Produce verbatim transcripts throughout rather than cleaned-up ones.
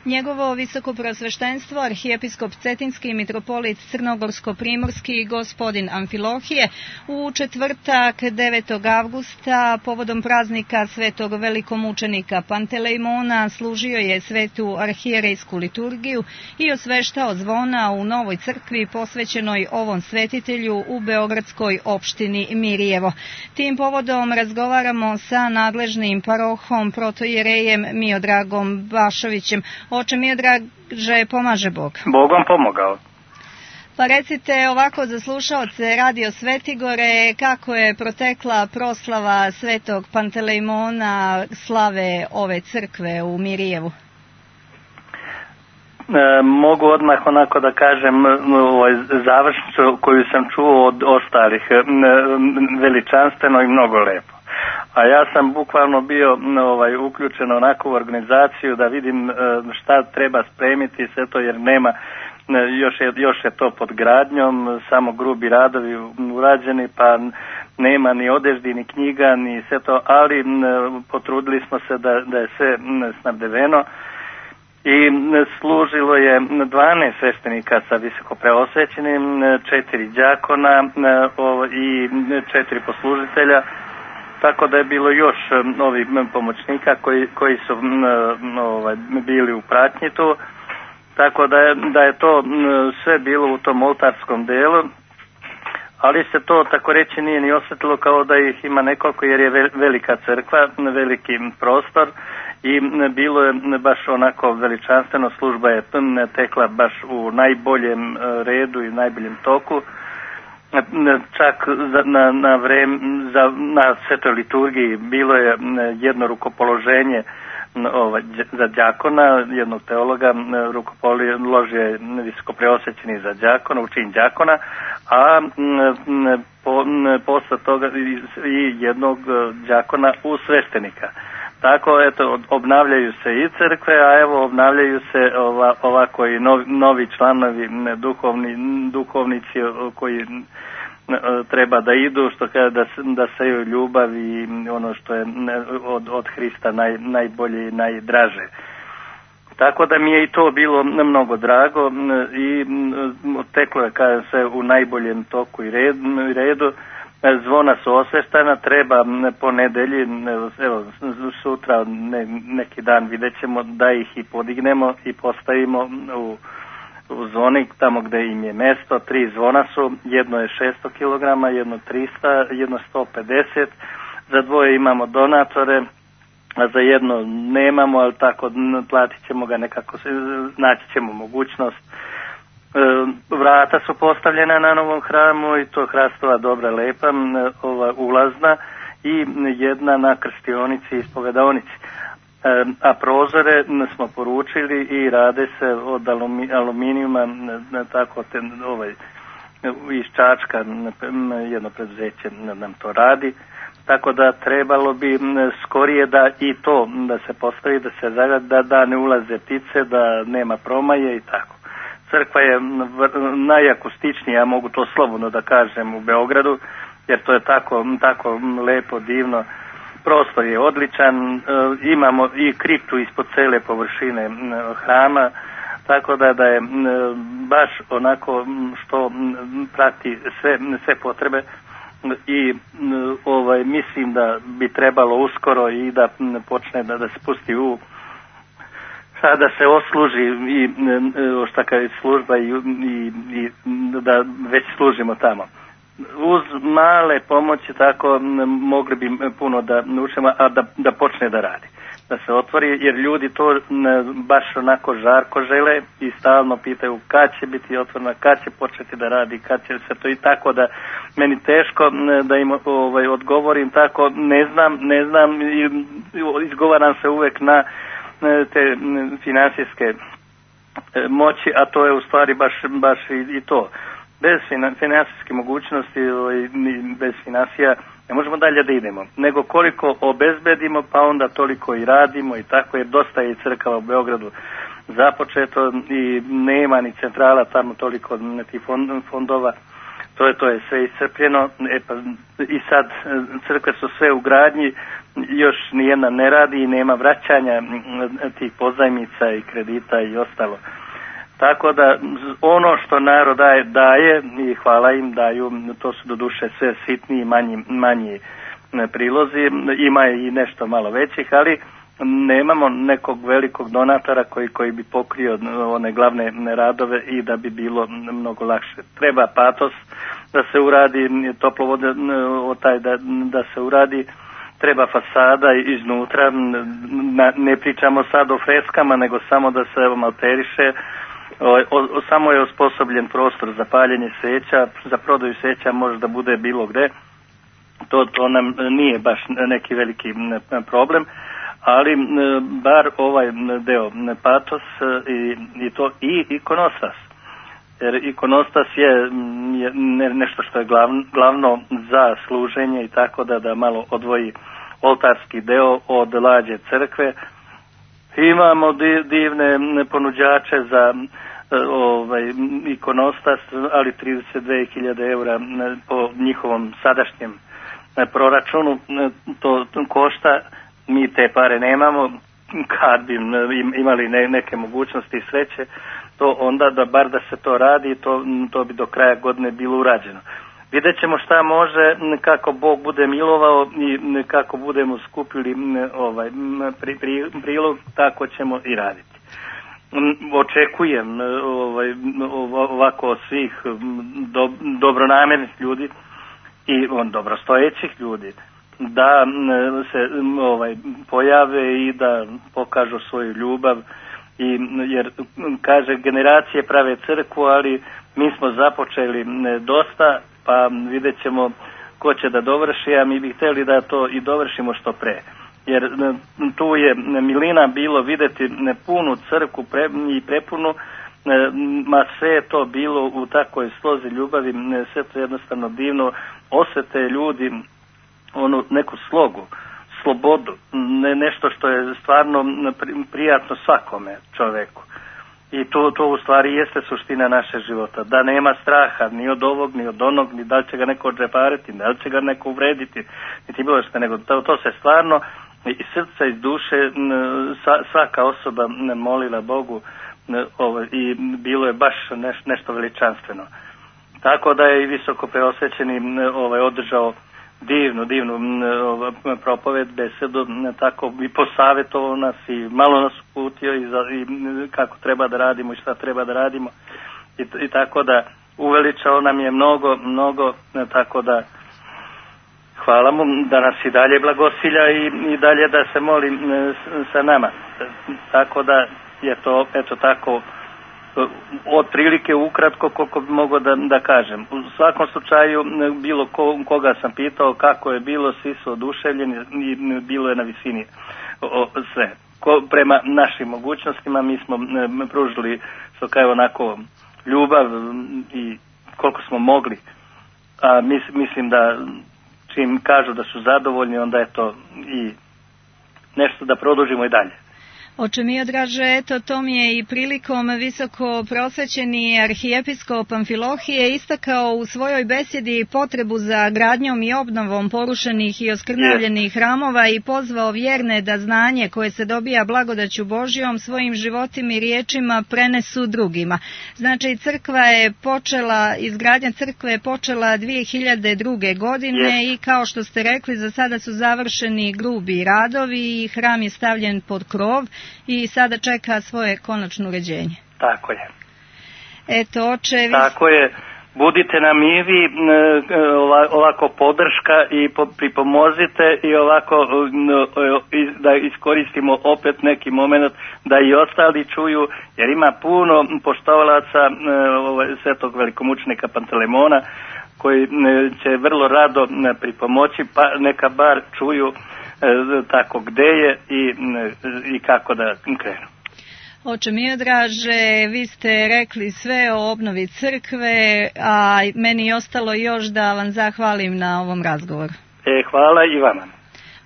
Njegovo visokoprosveštenstvo, arhijepiskop Cetinski i mitropolit Crnogorsko-primorski gospodin Amfilohije u četvrtak devetog avgusta povodom praznika svetog velikomučenika Pantelejmona služio je svetu arhijerejsku liturgiju i osveštao zvona u novoj crkvi posvećenoj ovom svetitelju u beogradskoj opštini Mirjevo. Tim povodom razgovaramo sa nadležnim parohom protojerejem Miodragom Bašovićem. Oče Miodraže, pomaže Bog. Bogom pomogao. Pa recite ovako za slušaoce Radio Svetigore, kako je protekla proslava svetog Pantelejmona slave ove crkve u Mirjevu? E, mogu odmah onako da kažem ovaj, završnicu koju sam čuo od ostalih, e, veličanstveno i mnogo lepo. A ja sam bukvalno bio ovaj, uključen onako u organizaciju da vidim e, šta treba spremiti sve to, jer nema, još je, još je to pod gradnjom, samo grubi radovi urađeni, pa nema ni odeždi, ni knjiga, ni sve to, ali e, potrudili smo se da, da je sve snabdeveno. I služilo je dvanaest sveštenika sa visoko preosvećenim, četiri đakona i četiri poslužitelja, tako da je bilo još ovih pomoćnika koji, koji su ovaj, bili u pratnji tu, tako da je, da je to sve bilo u tom oltarskom delu, ali se to tako reći nije ni osjetilo kao da ih ima nekoliko, jer je velika crkva, veliki prostor. I bilo je baš onako veličanstveno, služba je tekla baš u najboljem redu i najboljem toku. Čak na, na, vreme, za, na svetoj liturgiji bilo je jedno rukopoloženje ovaj, za đakona, jednog teologa, rukopoložio je visoko preosvećeni za đakona, učin đakona, a po, posle toga i jednog đakona u sveštenika. Tako, eto, obnavljaju se i crkve, a evo obnavljaju se ova, ovako i novi, novi članovi, duhovni, duhovnici koji treba da idu, što kaže da, da seju ljubav i ono što je od, od Hrista naj, najbolje i najdraže. Tako da mi je i to bilo mnogo drago i teklo je, kažem se, u najboljem toku i redu. Zvona su osveštana, treba po nedelji, evo, sutra ne, neki dan vidjet ćemo da ih i podignemo i postavimo u, u zvoni tamo gde im je mesto. Tri zvona su, jedno je šesto kilograma, jedno trista, jedno sto pedeset, za dvoje imamo donatore, a za jedno nemamo, ali tako platit ćemo ga nekako, naći ćemo mogućnost. Vrata su postavljena na novom hramu i to hrastova dobra lepa, ova ulazna i jedna na krstionici i ispovedaonici. A prozore smo poručili i rade se od aluminijuma, tako te, ovaj, iz Čačka jedno preduzeće nam to radi, tako da trebalo bi skorije da i to da se postavi, da se zagradi, da, da ne ulaze ptice, da nema promaje i tako. Crkva je najakustičnija, ja mogu to slobodno da kažem, u Beogradu, jer to je tako, tako lepo, divno. Prostor je odličan, imamo i kriptu ispod cele površine hrama, tako da, da je baš onako što prati sve, sve potrebe i ovaj, mislim da bi trebalo uskoro i da počne da, da se pusti u da se osluži i šta kaže služba i, i, i da već služimo tamo. Uz male pomoći tako mogli bi puno da naučimo, a da, da počne da radi, da se otvori, jer ljudi to baš onako žarko žele i stalno pitaju kad će biti otvorena, kad će početi da radi, kad će se to, i tako da meni teško da im ovaj, odgovorim tako, ne znam, ne znam i izgovaram se uvek na te finansijske moći, a to je u stvari baš, baš i, i to. Bez finansijske mogućnosti i bez finansija ne možemo dalje da idemo, nego koliko obezbedimo, pa onda toliko i radimo i tako, jer dosta je i crkava u Beogradu započeto i nema ni centrala tamo toliko tih fondova, to je, to je sve iscrpljeno. E pa, i sad crkve su sve u gradnji, još nijedna ne radi i nema vraćanja tih pozajmica i kredita i ostalo. Tako da ono što narod daje, daje i hvala im daju, to su do duše sve sitni i manji, manji prilozi, ima i nešto malo većih, ali nemamo nekog velikog donatora koji, koji bi pokrio one glavne radove i da bi bilo mnogo lakše. Treba patos da se uradi, toplovode taj da, da se uradi, treba fasada iznutra, ne pričamo sad o freskama, nego samo da se malteriše. O, o, samo je osposobljen prostor za paljenje sveća, za prodaju sveća može da bude bilo gde, to, to nam nije baš neki veliki problem, ali bar ovaj deo patos i, i to i ikonostas, jer ikonostas je, je nešto što je glavno, glavno za služenje i tako da, da malo odvoji oltarski deo od lađe crkve. Imamo divne ponuđače za ovaj ikonostas, ali trideset dve hiljade eura po njihovom sadašnjem proračunu to košta. Mi te pare nemamo, kad bi imali neke mogućnosti i sreće, to onda da bar da se to radi, to, to bi do kraja godine bilo urađeno. Vidjet ćemo šta može, kako Bog bude milovao i kako budemo skupili ovaj pri, pri, prilog, tako ćemo i raditi. Očekujem ovaj, ovako od svih do, dobronamjernih ljudi i on dobrostojećih ljudi da se ovaj pojave i da pokažu svoju ljubav, i jer kaže generacije prave crkvu, ali mi smo započeli dosta, pa vidjet ćemo ko će da dovrši, a mi bi htjeli da to i dovršimo što pre. Jer tu je milina bilo vidjeti punu crkvu pre, i prepunu, ma sve je to bilo u takvoj slozi ljubavi, sve to jednostavno divno, osjete ljudi onu neku slogu, slobodu, ne, nešto što je stvarno prijatno svakome čoveku. I to, to u stvari jeste suština naše života, da nema straha ni od ovog, ni od onog, ni da li će ga neko odžepariti, da li će ga neko uvrediti, niti bilo što, nego to, to se stvarno iz srca, iz duše svaka osoba molila Bogu ovo, i bilo je baš neš, nešto veličanstveno. Tako da je i visoko preosvećeni ovaj, održao divnu, divnu propoved, besedu, tako i posavjetovao nas i malo nas uputio i, za, i kako treba da radimo i šta treba da radimo i, i tako da uveličao nam je mnogo, mnogo, tako da hvala mu da nas i dalje blagosilja i, i dalje da se moli sa nama. Tako da je to, eto tako, otprilike ukratko koliko bi mogao da, da kažem. U svakom slučaju bilo ko, koga sam pitao kako je bilo, svi su oduševljeni i bilo je na visini o, sve. Ko, prema našim mogućnostima mi smo m, pružili što kao onako ljubav i koliko smo mogli. A mis, mislim da čim kažu da su zadovoljni, onda je to i nešto da produžimo i dalje. Oče Miodraže, eto, to mi je i prilikom visoko prosvećeni arhijepiskop Amfilohije istakao u svojoj besjedi potrebu za gradnjom i obnovom porušenih i oskrnavljenih hramova i pozvao vjerne da znanje koje se dobija blagodaću Božjom svojim životima i riječima prenesu drugima. Znači, crkva je počela, izgradnja crkve je počela dvije hiljade druge. godine yes. i kao što ste rekli, za sada su završeni grubi radovi i hram je stavljen pod krov i sada čeka svoje konačno uređenje. Tako je. Eto, oče, vi... Tako je. Budite nam i vi ovako podrška i pripomozite i ovako da iskoristimo opet neki moment da i ostali čuju, jer ima puno poštovalaca svetog velikomučenika Pantelemona koji će vrlo rado pripomoći, pa neka bar čuju tako gde je i, i kako da krenu. Oče Miodraže, vi ste rekli sve o obnovi crkve, a meni je ostalo još da vam zahvalim na ovom razgovoru. E, hvala i vama.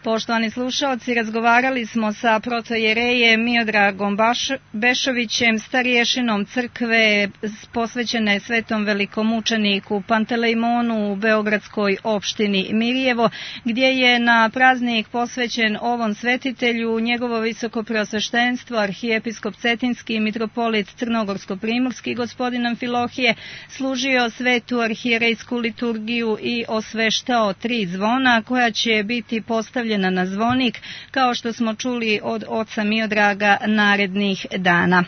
Poštovani slušalci, razgovarali smo sa protojerejem Miodragom Baš, Bešovićem, stariješinom crkve posvećene Svetom velikomučeniku Pantelejmonu u beogradskoj opštini Mirjevo, gdje je na praznik posvećen ovom svetitelju njegovo visoko preosveštenstvo, arhijepiskop Cetinski i mitropolit Crnogorsko-primorski gospodin Amfilohije služio svetu arhijerejsku liturgiju i osveštao tri zvona koja će biti postavljena na zvonik, kao što smo čuli od oca Miodraga narednih dana.